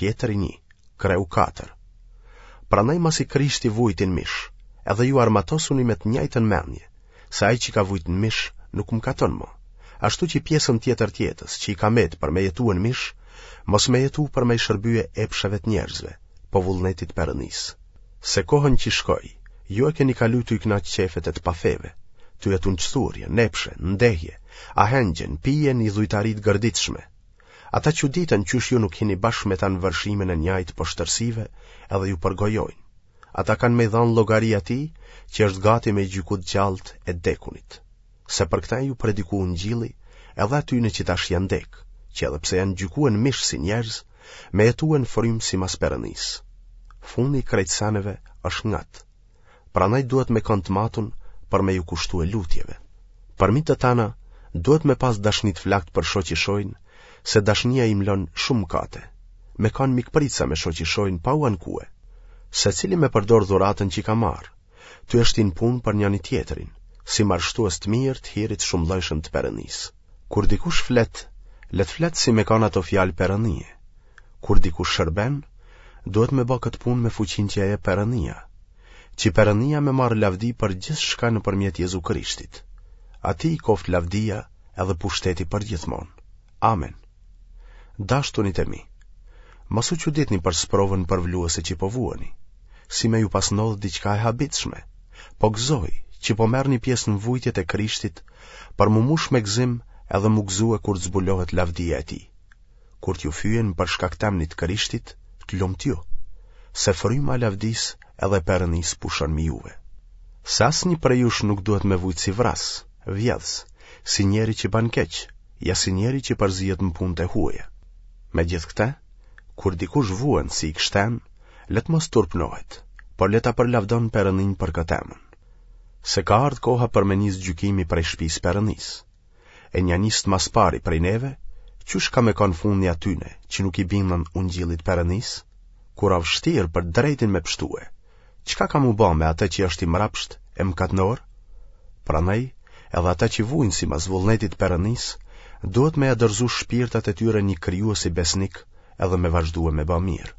Pjetri 1, kreu 4. Prandaj masi Krishti vujti n'mish, edhe ju armatosuni me të njëjtën mendje, se ai që ka vujt në mish nuk mëkaton më, ashtu që pjesën tjetër të jetës që i ka met për me jetue në mish, mos me jetu për me i shërbye epsheve të njerëzve, po vullnetit Perëndisë. Se kohën që shkoi, ju e keni kalu tuj kënaq qefet e të pafeve, tu jetu në çthurje, n'epshe, n'dehje, ahengje, në pije, në idhujtari të gërditshme. Ata çuditen qysh ju nuk hini bashkë me ta në vërshimin e njajtë poshtërsive edhe ju përgojojnë. Ata kanë me i dhanë llogari atij që është gati me i gjyku të gjallët e t'dekunit. Se për këta ju prediku ungjilli edhe atyne që tash janë dekë, që edhe pse janë gjykue në mish si njerëz, me jetue në frymë simas Perëndisë. Fundi i krejt seneve është ngat. Prandaj duhet me kanë të matun për me ju kushtue lutjeve. Përmi të tana, duhet me pas dashni të flaktë për shoqishojnë, se dashnia i mlon shumë mëkate. Me kanë mikpritsa me shoqishojnë pa u ankue. Secili me përdor dhuratën që ka marrë, tu e shti në punë për njani-tjetrin, si marshtues të mirë të hirit shumëllojshëm të Perëndisë. Kur dikush flet, le të flet si me kanë ato fjalë Perëndie. Kur dikush shërben, duhet me ba këtë punë me fuqinë që ia jep Perëndia, që Perëndia me marrë lavdi për gjithçka nëpërmjet Jezu Krishtit. Atij i koftë lavdia edhe pushteti përgjithmonë. Amen. Dashtunit e mi, mos u çuditni për sprovën përvluese që po vuani, si me ju pas ndodhë diçka e habitshme, po gëzohi që po merrni pjesë në vujtjet e Krishtit, për m'u mush me gëzim edhe m'u gëzue kur të zbulohet lavdia e tij. Kur t'ju fyejnë për shkak t'emnit të Krishtit, të lumtë ju, se fryma e lavdisë edhe e Perëndisë pushon mi juve. Se asnjë prej jush nuk duhet me vujt si vrasës, vjedhës, si njeri që ban keq, ja si njeri që përzihet në punët e huaja. Megjithëkëtë, kur dikush vuen si i krishtenë, le të mos turpnohet, por le ta përlavdon Perëndinë për këtë emën. Se ka ardhë koha për me nisë gjykimi prej shpisë Perëndisë. E nja nisët ma s'pari prej neve, qysh ka me kanë fundi atyne që nuk i binden ungjillit Perëndisë? Kur a vështirë për drejtin me pshtue, çka ka m'u ba me atë që është i mrapsht e mëkatnor? Prandaj, edhe ata që vujnë simas vullnetit të Perëndisë, duhet me ia dorëzu shpirtat e tyre një krijuesi besnik edhe me vazhdue me ba mirë.